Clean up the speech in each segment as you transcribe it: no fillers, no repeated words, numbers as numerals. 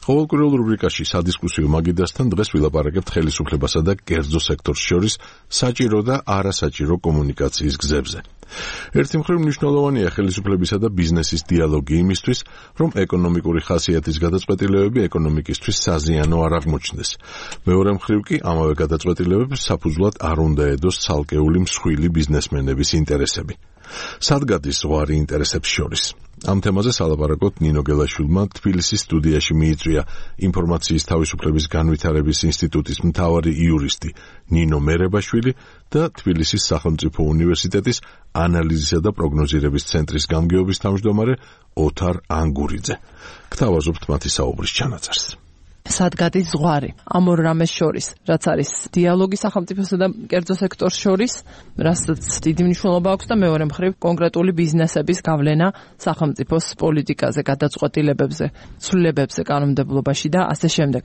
ყოველკვირეულ რუბრიკაში სადისკუსიო მაგიდასთან დღეს ვილაპარაკებთ ხელისუფლებასა და კერძო სექტორს შორის საჭირო და არასაჭირო კომუნიკაციის გზებზე. ერთი მხრივ მნიშვნელოვანია ხელისუფლებისა და ბიზნესის დიალოგი იმისთვის, რომ ეკონომიკური ხასიათის გადაწყვეტილებები ეკონომიკისთვის საზიანო არ აღმოჩნდეს. მეორე მხრივ კი ამავე გადაწყვეტილებებს საფუძვლად არ უნდა ედოს ცალკეული მსხვილი ბიზნესმენების ინტერესები. სად გადის ზღვარი ინტერესებს შორის? ამ თემაზე სალაპარაკოთ ნინო გელაშვილმა თბილისის სტუდიაში მიიწვია ინფორმაციის თავისუფლების განვითარების ინსტიტუტის მთავარი იურისტი ნინო მერებაშვილი და თბილისის სახელმწიფო უნივერსიტეტის ანალიზისა და პროგნოზირების ცენტრის გამგეობის თავმჯდომარე ოთარ ანგურიძე. გთავაზობთ მათი საუბრის ჩანაწერს. სად გადის ზღვარი ამ ორ რამეს შორის, რაც არის დიალოგი სახელმწიფოსა და კერძო სექტორს შორის, რასაც დიდი მნიშვნელობა აქვს და მეორე მხრივ კონკრეტული ბიზნესების გავლენა სახელმწიფოს პოლიტიკაზე, გადაწყვეტილებებზე, ცვლილებებზე კანონმდებლობაში და ასე შემდეგ.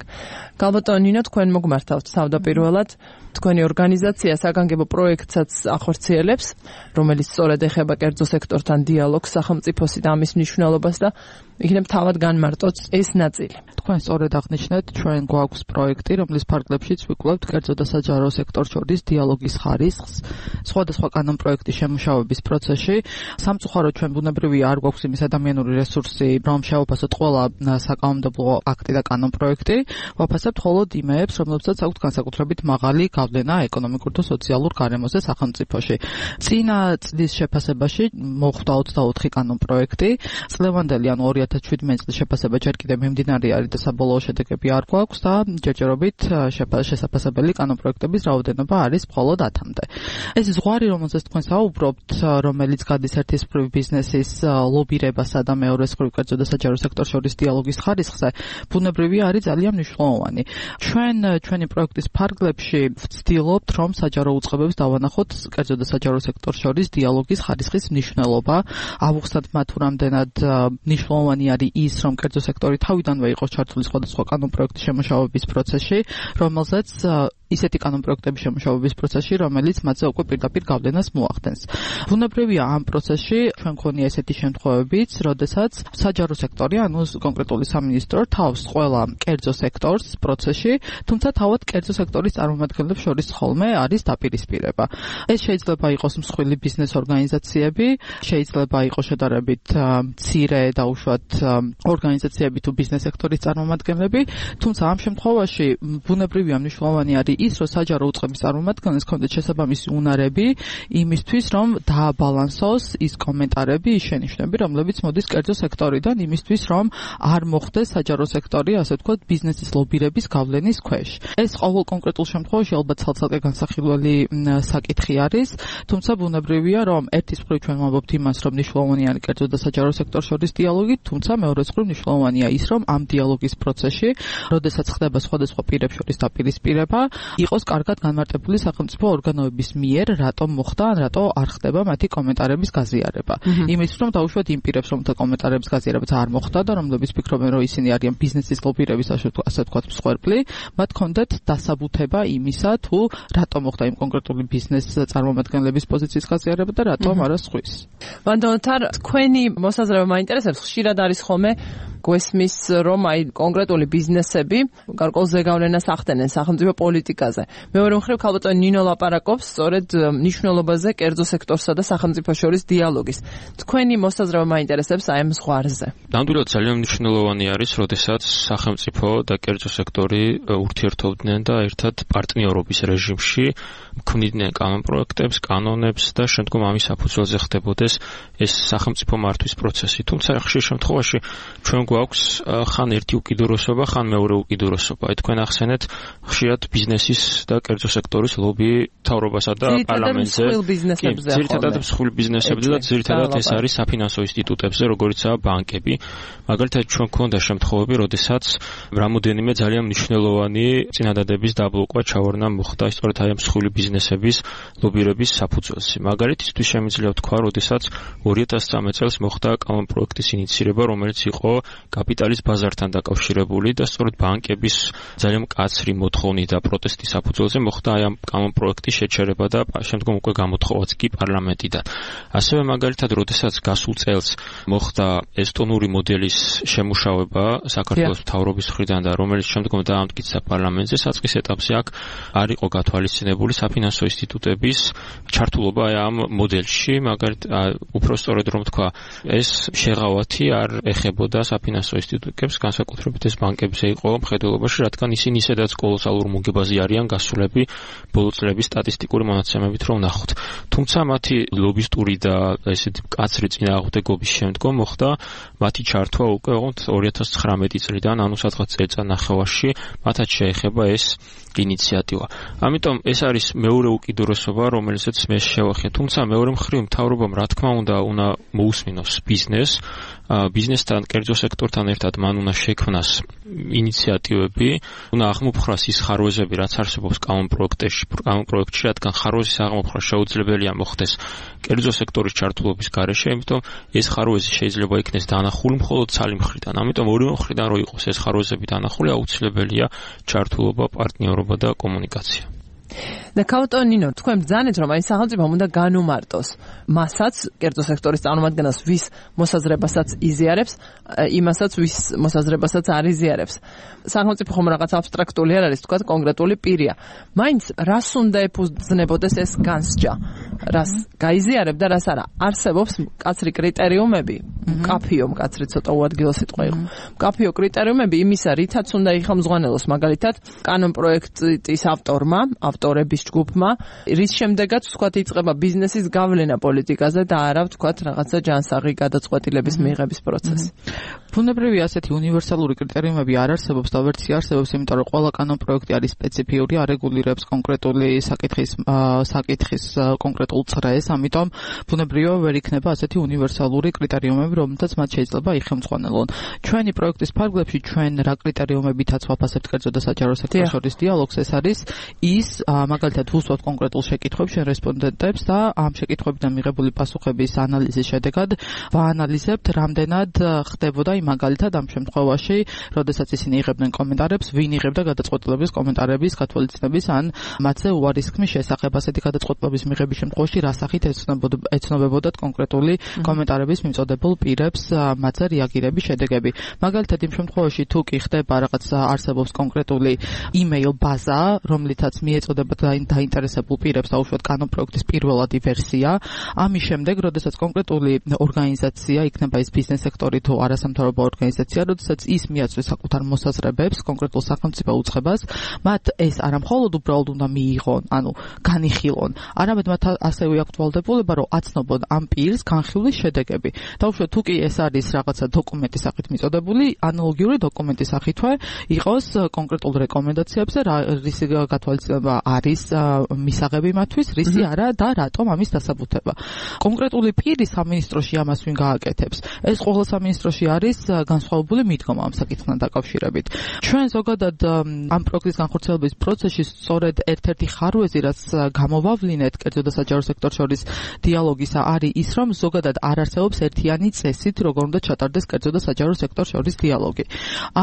გალბატონო ნინო, თქვენ მოგმართავთ თავდაპირველად თქვენი ორგანიზაცია საგანგებო პროექტსაც ახორციელებს, რომელიც სწორედ ეხება კერძო სექტორთან დიალოგს სახელმწიფოსი და ამის მნიშვნელობას და იქნებ თავად განმარტოთ ეს ნაწილი. თქვენ სწორედ აღნიშნეთ, ჩვენ გვაქვს პროექტი, რომლის ფარგლებშიც ვიკვლევთ კერძო და საჯარო სექტორს შორის დიალოგის ხარისხს, სხვადასხვა კანონპროექტის შემუშავების პროცესში. სამწუხაროდ ჩვენ ბუნებრივია არ გვაქვს იმის ადამიანური რესურსი, რომ შევაფასოთ ყველა საკანონმდებლო აქტი და კანონპროექტი, ვაფასებთ მხოლოდ იმეებს, რომლებსაც აქვთ განსაკუთრებით მაღალი გავლენა ეკონომიკურ და სოციალურ გარემოზე სახელმწიფოში. წინა წლის შეფასებაში მოხვდა 24 კანონპროექტი, წლევანდელი ანუ 2017 წლის შეფასება ჯერ კიდევ მიმდინარე არის და საბოლოო შედეგები არ გვაქვს და ჯერჯერობით შესაფასებელი კანონპროექტების რაოდენობა არის მხოლოდ 10-მდე. ეს ზღვარი, რომელზეც თქვენ საუბრობთ, რომელიც გადის ერთის მხრივ ბიზნესის ლობირებასა და მეორეს მხრივ კერძო და საჯარო სექტორს შორის დიალოგის ხარისხზე, ბუნებრივია არის ძალიან მნიშვნელოვანი. ჩვენი პროექტის ფარგლებში ვცდილობთ, რომ საჯარო უწყებებს დავანახოთ კერძო და საჯარო სექტორს შორის დიალოგის ხარისხის მნიშვნელობა, ავუხსნათ მათ თუ რამდენად მნიშვნელოვანი არის ის, რომ კერძო სექტორი თავიდანვე იყოს ჩართული სხვადასხვა კანონპროექტის შემუშავების პროცესში, რომელზეც ისეთი კანონპროექტების შემუშავების პროცესში, რომელიც მათზე უკვე პირდაპირ გავლენას მოახდენს. ბუნებრივია ამ პროცესში ჩვენ გქონია ესეთი შემთხვევებიც, როდესაც საჯარო სექტორი, ანუ კონკრეტული სამინისტრო თავს ყველა კერძო სექტორს პროცესში, თუმცა თავად კერძო სექტორის წარმომადგენლებს შორის ხოლმე არის დაპირისპირება. ეს შეიძლება იყოს მსხვილი ბიზნეს ორგანიზაციები, შეიძლება იყოს შედარებით მცირე და უშუალოდ ორგანიზაციები თუ ბიზნეს სექტორის წარმომადგენლები, თუმცა ამ შემთხვევაში ბუნებრივია მნიშვნელოვანი არის ის, რომ საჯარო უწყების წარმომადგენლებს ჰქონდეთ შესაბამისი უნარები იმისთვის, რომ დააბალანსოს ის კომენტარები, ის შენიშვნები, რომლებიც მოდის კერძო სექტორიდან იმისთვის, რომ არ მოხდეს საჯარო სექტორი, ასე ვთქვათ, ბიზნესის ლობირების გავლენის ქვეშ. ეს ყოველ კონკრეტულ შემთხვევაში ალბათ ცალ-ცალკე განსახილველი საკითხი არის, თუმცა ბუნებრივია, რომ ერთის მხრივ ჩვენ ვამბობთ იმას, რომ მნიშვნელოვანია კერძო და საჯარო სექტორს შორის დიალოგი, თუმცა მეორეს მხრივ მნიშვნელოვანია ის, რომ ამ დიალოგის პროცესში, როდესაც ხდება სხვადასხვა პირებს შორის დაპირისპირება, იყოს კარგად განმარტებული სახელმწიფო ორგანოების მიერ, რატომ მოხდა, რატო არ ხდება მათი კომენტარების გაზიარება. იმისთვის, რომ დაუშვათ იმ პირებს, რომელთა კომენტარების გაზიარებაც არ მოხდა და რომლებიც ფიქრობენ, რომ ისინი არიან ბიზნესის ლობირების ასე ვთქვათ მსხვერპლი, მათ ჰქონდეთ დასაბუთება იმისა, თუ რატომ მოხდა იმ კონკრეტული ბიზნეს წარმომადგენლების პოზიციის გაზიარება და რატომ არა სხვის. ვანდონთარ, თქვენი მოსაზრება მაინტერესებს, ხშირად არის ხოლმე გვესმის, რომ აი კონკრეტული ბიზნესები გარკვეულ ზეგავლენას ახდენენ სახელმწიფო პოლიტიკაზე. მეორე მხრივ ქალბატონი ნინო ლაპარაკობს სწორედ მნიშვნელობაზე კერძო სექტორსა და სახელმწიფოს შორის დიალოგის. თქვენი მოსაზრება მაინტერესებს აი ამ ზღვარზე. ნამდვილად ძალიან მნიშვნელოვანი არის, როდესაც სახელმწიფო და კერძო სექტორი ურთიერთობდნენ და ერთად პარტნიორობის რეჟიმში ქმნიდნენ კანონპროექტებს, კანონებს და შემდგომ ამის საფუძველზე ხდებოდეს ეს სახელმწიფო მართვის პროცესი. თუმცა ხშირ შემთხვევაში ჩვენ გვაქვს ხან ერთი უკიდურესობა, ხან მეორე უკიდურესობა. აი თქვენ ახსენეთ ხშირად ბიზნესის და კერძო სექტორის ლობი მთავრობასა და პარლამენტზე. ძირითადად მსხვილ ბიზნესებზე და ძირითადად ეს არის საფინანსო ინსტიტუტებზე, როგორიცაა ბანკები. მაგალითად ჩვენ გვქონდა შემთხვევები, როდესაც რამოდენიმე ძალიან მნიშვნელოვანი წინადადების დაბლოკვა ჩავარდნა მოხდა სწორედ აი ამ მსხვილი ბიზნესების ლობირების საფუძველზე. მაგალითისთვის შემიძლია ვთქვა, როდესაც 2013 წელს მოხდა კანონპროექტის ინიციირება, რომელიც იყო კაპიტალის ბაზართან დაკავშირებული და სწორედ ბანკების ძალიან მკაცრი მოთხოვნით და პროტესტის საფუძველზე მოხდა აი ამ კანონპროექტის შეჩერება და შემდგომ უკვე გამოთხოვაც კი პარლამენტიდან. ასევე მაგალითად, როდესაც გასულ წელს მოხდა ესტონური მოდელის შემუშავება საქართველოს მთავრობის მხრიდან და რომელიც შემდგომ დაამტკიცა პარლამენტზე, საწყის ეტაპზე აქ არ იყო გათვალისწინებული საფინანსო ინსტიტუტების ჩართულობა აი ამ მოდელში, მაგალითად, უფრო სწორედ რომ თქვა, ეს შეღავათი არ ეხებოდა საფინანსო ინსტიტუტებს, განსაკუთრებით ეს ბანკებზე იყო მხედველობაში, რადგან ისინი ისედაც კოლოსალურ მოგებაზე არიან გასულები ბოლო წლების სტატისტიკური მონაცემებით რომ ნახოთ. თუმცა მათი ლობისტური და ესეთი მკაცრი წინააღმდეგობის შემდგომ მოხდა მათი ჩართვა უკვე 2019 წლიდან, ანუ სადღაც წელწადნახევარში მათაც შეეხება ეს ინიციატივა. ამიტომ ეს არის მეორე უკიდურესობა, რომელსაც მე შევახე. თუმცა მეორე მხრივ მთავრობამ რა თქმა უნდა მოусმინოს ბიზნესთან, კერძო სექტორთან ერთად მან უნდა შექმნას ინიციატივები, უნდა აღმოფხრას ის ხარვეზები, რაც არსებობს კანონპროექტში, რადგან ხარვეზის აღმოფხრა შეუძლებელია მოხდეს კერძო სექტორის ჩართულობის გარეშე, ამიტომ ეს ხარვეზი შეიძლება იქნეს დანახული მხოლოდ ცალი მხრიდან. ამიტომ ორივე მხრიდან რო იყოს ეს ხარვეზები დანახული, აუცილებელია ჩართულობა, პარტნიორობა და კომუნიკაცია. და კაუტონინო, თქვენ ბრძანეთ, რომ აი სახელმწიფომ უნდა განუმარტოს მასაც, კერძო სექტორის წარმომადგენელს, ვის მოსაზრებასაც იზიარებს, იმასაც, ვის მოსაზრებასაც არ იზიარებს. სახელმწიფო ხომ რაღაც აბსტრაქტული არ არის, თქვა კონკრეტული პირია. მაინც რას უნდა ეფუძნებოდეს ეს განსჯა? რას გაიზიარებ და რას არა? არსებობს მკაცრი კრიტერიუმები, მკაფიო, მკაცრი ცოტა უადგილო სიტყვა იყო. მკაფიო კრიტერიუმები იმისა, რითაც უნდა იხელმძღვანელოს, მაგალითად, კანონპროექტის ავტორების ჯგუფმა, რის შემდეგაც ვთქვათ იწყება ბიზნესის გავლენა პოლიტიკაზე და არა ვთქვათ რაღაცა ჯანსაღი გადაწყვეტილების მიღების პროცესი. ბუნებრივი ასეთი უნივერსალური კრიტერიუმები არ არსებობს და ვერც არსებობს, იმიტომ რომ ყველა კანონპროექტი არის სპეციფიური, არეგულირებს კონკრეტული საკითხის კონკრეტულ წრეს, ამიტომ ბუნებრივია ვერ იქნება ასეთი უნივერსალური კრიტერიუმები, რომელთაც მათ შეიძლება იხელმძღვანელონ. ჩვენი პროექტის ფარგლებში ჩვენ რა კრიტერიუმებითაც ვაფასებთ კერძო და საჯარო სექტორს შორის დიალოგს, ეს არის ის მაგალითად ვუსვათ კონკრეტულ შეკითხვებს შენ რესპონდენტებს და ამ შეკითხვებიდან მიღებული პასუხების ანალიზის შედეგად ვაანალიზებთ, რამდენად ხდებოდა მაგალითად ამ შემთხვევაში, როდესაც ისინი იღებდნენ კომენტარებს, ვინ იღებდა გადაწყვეტილების კომენტარების გათვალისწინების ან მათზე უარისქმის შესახებ. ასეთი გადაწყვეტილების მიღების შემთხვევაში რა სახით ეცნობებოდათ კონკრეტული კომენტარების მიმწოდებელ პირებს მათზე რეაგირების შედეგები. მაგალითად იმ შემთხვევაში თუ კი ხდება რაღაც არსებობს კონკრეტული email ბაზა, რომლითაც მიეწოდება დაინტერესებულ პირებს დაუშვათ კანონპროექტის პირველადი ვერსია. ამის შემდეგ, როდესაც კონკრეტული ორგანიზაცია, იქნება ის ბიზნეს სექტორი თუ არასამთავრობო ორგანიზაცია, როდესაც ის მიაწვეს საკუთარ მოსაზრებებს კონკრეტულ სახელმწიფო უწყებას, მათ ეს არა მხოლოდ უბრალოდ უნდა მიიღონ, ანუ განიხილონ, არამედ მათ ასევე აქვთ ვალდებულება, რომ აცნობონ ამ პირს განხილვის შედეგები. დაუშვათ თუ კი ეს არის რაღაცა დოკუმენტის სახით მიწოდებული, ანალოგიური დოკუმენტის სახითვე იყოს კონკრეტულ რეკომენდაციებზე, რისი გათვალისწინება არის მისაღები მათთვის, რისი არა და რატომ ამის დასაბუთება. კონკრეტული პირი სამინისტროში ამას ვინ გააკეთებს? ეს ყოველ სამინისტროში არის განსხვავებული მიდგომა ამ საკითხთან დაკავშირებით. ჩვენ ზოგადად ამ პროექტის განხორციელების პროცესში სწორედ ერთ-ერთი ხარვეზი, რაც გამოვავლინეთ კერძო და საჯარო სექტორს შორის დიალოგისა, არის ის, რომ ზოგადად არ არსებობს ერთიანი წესით, როგორ უნდა ჩატარდეს კერძო და საჯარო სექტორს შორის დიალოგი.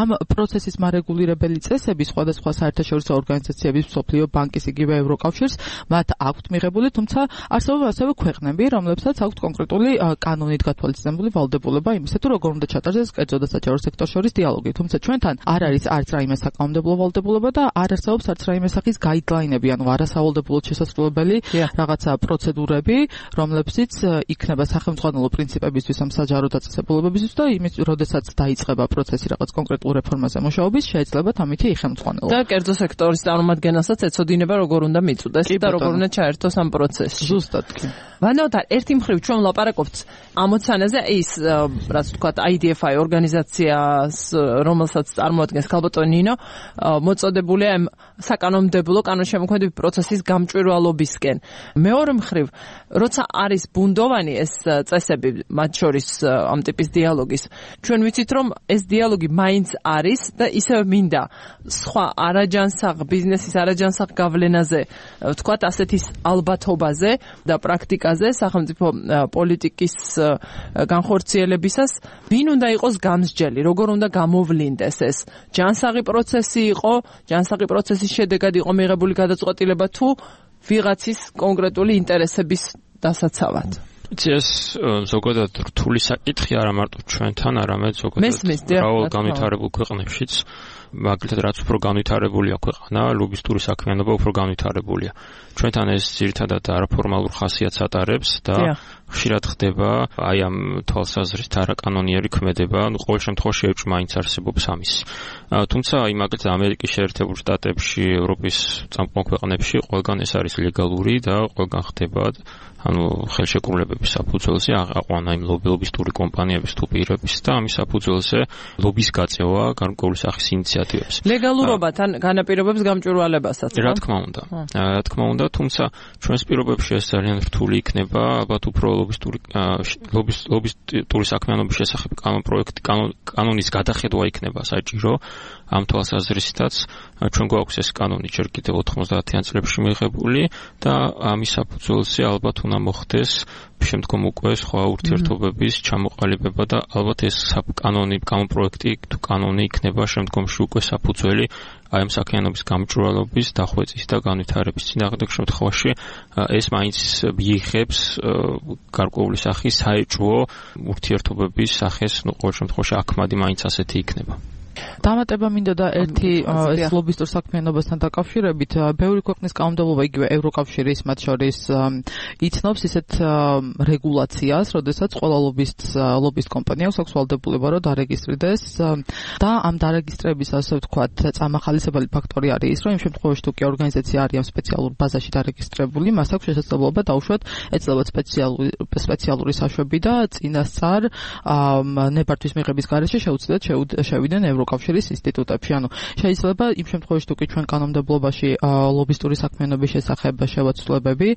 ამ პროცესის მარეგულირებელი წესები სხვადასხვა საერთაშორისო ორგანიზაციების, მსოფლიო ბანკის, იგივე ევროკავშირს მათ აქვთ მიღებული, თუმცა არსებობს ასევე ქვეყნები, რომლებსაც აქვთ კონკრეტული კანონით გათვალისწინებული ვალდებულება იმისა, თუ როგორ უნდა ჩატარდეს კერძო და საჯარო სექტორს შორის დიალოგი. თუმცა ჩვენთან არ არის არც რაიმე საკანონმდებლო ვალდებულება და არ არსებობს არც რაიმე სახის გაიდლაინები, ანუ არასავალდებულოდ შესაძლებელი რაღაცა პროცედურები, რომლებშიც იქნება სახელმძღვანელო პრინციპებისთვის ამ საჯარო დაწესებულებებისთვის და იმის, როდესაც დაიწყება პროცესი რაღაც კონკრეტულ რეფორმაზე მუშაობის, შეიძლება ამითი იხელმძღვანელო. და კერძო სექტორის წარმომადგენელსაც ეცოდინება, როგორ უნდა მიწვდეს და როგორ უნდა ჩაერთოს ამ პროცესში. ზუსტად კი. ვანოთარ, ერთი მხრივ ჩვენ ვლაპარაკობთ ამოცანაზე, ის რაც თქვა IDFI ორგანიზაციას, რომელსაც წარმოადგენს ქალბატონი ნინო, მოწოდებულია საკანონმდებლო კანონშემოქმედებითი პროცესის გამჭვირვალობისკენ. მეორე მხრივ, როცა არის ბუნდოვანი ეს წესები, მათ შორის ამ ტიპის დიალოგის, ჩვენ ვიცით, რომ ეს დიალოგი მაინც არის და ისევ მინდა სხვა ბიზნესის არაჯანსაღ გავლენაზე, ვთქვათ, ასეთის ალბათობაზე და პრაქტიკაზე პოლიტიკაზე, სახელმწიფო პოლიტიკის განხორციელებისას, ვინ უნდა იყოს გამსჯელი, როგორ უნდა გამოვლინდეს ეს ჯანსაღი პროცესი იყო, ჯანსაღი პროცესის შედეგად იყო მიღებული გადაწყვეტილება თუ ვიღაცის კონკრეტული ინტერესების დასაცავად. ეს ზოგადად რთული საკითხი არა მარტო ჩვენთან, არამედ ზოგადად მრავალ განვითარებულ ქვეყნებშიც. მაგალითად, რაც უფრო განვითარებულია ქვეყანა, ლობისტური საქმიანობა უფრო განვითარებულია. ჩვენთან ეს ძირითადად არაფორმალურ ხასიათს ატარებს და ხშირად ხდება აი ამ თვალსაზრისით არაკანონიერი ქმედება, ყოველ შემთხვევაში ეჭვ მაინც არსებობს ამის. თუმცა აი მაგალითად ამერიკის შეერთებულ შტატებში, ევროპის წამყვან ქვეყნებში ყველგან ეს არის ლეგალური და ყველგან ხდება ხელშეკრულებების საფუძველზე აყვანა იმ ლობისტური კომპანიების თუ პირების და ამის საფუძველზე ლობის გაწევა გარკვეული სახის ინიციატივებს. ლეგალურობათან განაპირობებს გამჭვირვალებასაც. რა თქმა უნდა, თუმცა ჩვენს პირობებში ეს ძალიან რთული იქნება, ალბათ უფრო ლობისტური საქმიანობის შესახებ კანონის გადახედვა იქნება საჭირო. ამ თვალსაზრისითაც ჩვენ გვაქვს ეს კანონი ჯერ კიდევ 90-იან წლებში მიღებული და ამის საფუძველზე ალბათ უნდა მოხდეს შემდგომ უკვე სხვა ურთიერთობების ჩამოყალიბება და ალბათ ეს კანონპროექტი თუ კანონი იქნება შემდგომში უკვე საფუძველი აი ამ საქმიანობის გამჭვირვალობის, დახვეწის და განვითარების. წინააღმდეგ შემთხვევაში ეს მაინც მიიღებს გარკვეული სახის საეჭვო ურთიერთობების სახეს, ყოველ შემთხვევაში აქმადი მაინც ასეთი იქნება. დამატება მინდოდა ერთი ეს ლობისტურ საქმიანობასთან დაკავშირებით, ბევრი ქვეყნის კანონმდებლობა, იგივე ევროკავშირის მათ შორის იცნობს ისეთ რეგულაციას, როდესაც ყველა ლობისტ კომპანიას აქვს ვალდებულება რომ დარეგისტრდეს და ამ დარეგისტრების ასე ვთქვათ წამახალისებელი ფაქტორი არის ის, რომ იმ შემთხვევაში თუ კი ორგანიზაცია არის სპეციალურ ბაზაში დარეგისტრებული, მას აქვს შესაძლებლობა დაუშვათ ეცლებათ სპეციალური საშვები და წინასწარ ნებართვის მიღების გარეშე შეუძლიათ შევიდნენ ევროკავშირის ინსტიტუტებში. ანუ შეიძლება იმ შემთხვევაში თუ კი ჩვენ კანონმდებლობაში ლობისტური საქმიანობის შესახებ შევაცვლებები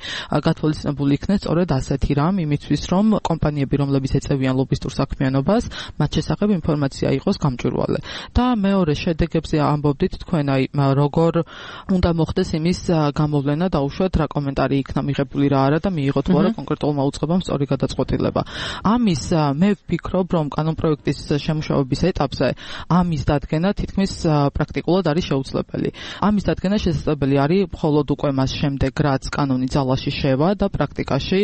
გათვალისწინებული იქნეს სწორედ ასეთი რამ, იმისთვის რომ კომპანიები, რომლებიც ეწევიან ლობისტურ საქმიანობას, მათ შესახებ ინფორმაცია იყოს გამჭვირვალე. და მეორე შედეგებზე ამბობდით თქვენ აი როგორ უნდა მოხდეს იმის გამოვლენა დაუშვათ რა კომენტარი იქნა მიღებული რა არა და მიიღოთ თუ არა კონკრეტულმა უწყებამ სწორი გადაწყვეტილება. ამის მე ვფიქრობ რომ კანონპროექტის შემუშავების ეტაპზე ამის დადგენა თითქმის პრაქტიკულად არის შეუძლებელი. ამის დადგენა შესაძლებელი არის მხოლოდ უკვე მას შემდეგ, რაც კანონი ძალაში შევა და პრაქტიკაში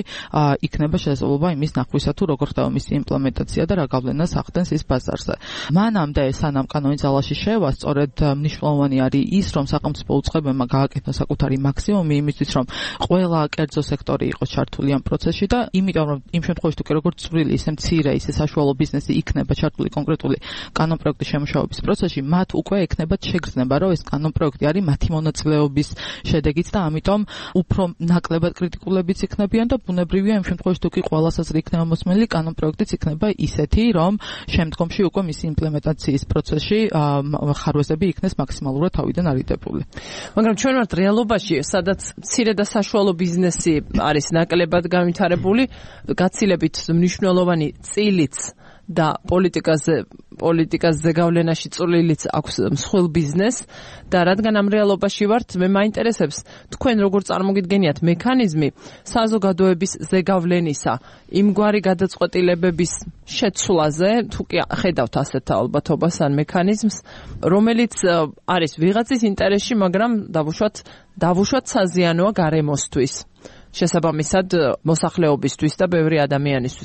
იქნება შესაძლებლობა იმის ნახვისა თუ როგორ ხდება მისი იმპლემენტაცია და რა გავლენას ახდენს ის ბაზარზე. მანამდე სანამ კანონი ძალაში შევა, სწორედ მნიშვნელოვანი არის ის, რომ სახელმწიფო უწყებებმა გააკეთოს საკუთარი მაქსიმუმი იმისთვის, რომ ყველა კერძო სექტორი იყოს ჩართული ამ პროცესში და იმიტომ რომ იმ შემთხვევაში თუ კი როგორც წვრილი, ისე მცირე, ისე საშუალო ბიზნესი იქნება ჩართული კონკრეტული კანონპროექტის შემუშავების პროცესში, მათ უკვე ექნებათ შეგრძნება, რომ ეს კანონპროექტი არის მათი მონაწილეობის შედეგიც და ამიტომ უფრო ნაკლებად კრიტიკულებიც იქნებიან და ბუნებრივია იმ შემთხვევაში თუ კი ყველა საზრი იქნება მოსმენილი, კანონპროექტიც იქნება ისეთი, რომ შემდგომში უკვე მისი იმპლემენტაციის პროცესში ხარვეზები იქნეს მაქსიმალურად თავიდან არიდებული. მაგრამ ჩვენ ვართ რეალობაში, სადაც მცირე და საშუალო ბიზნესი არის ნაკლებად განვითარებული, გაცილებით მნიშვნელოვანი წილიც და პოლიტიკაზე გავლენაში წვლილიც აქვს მსხვილ ბიზნესს და რადგან ამ რეალობაში ვართ, მე მაინტერესებს თქვენ როგორ წარმოგიდგენიათ მექანიზმი საზოგადოების ზეგავლენისა, იმგვარი გადაწყვეტილებების შეცვლაზე, თუ კი ხედავთ ასეთ ალბათობას ან მექანიზმს, რომელიც არის ვიღაცის ინტერესში, მაგრამ დავუშვათ საზიანოა გარემოსთვის. შესაბამისად მოსახლეობისთვის და ბევრი ადამიანისთვის.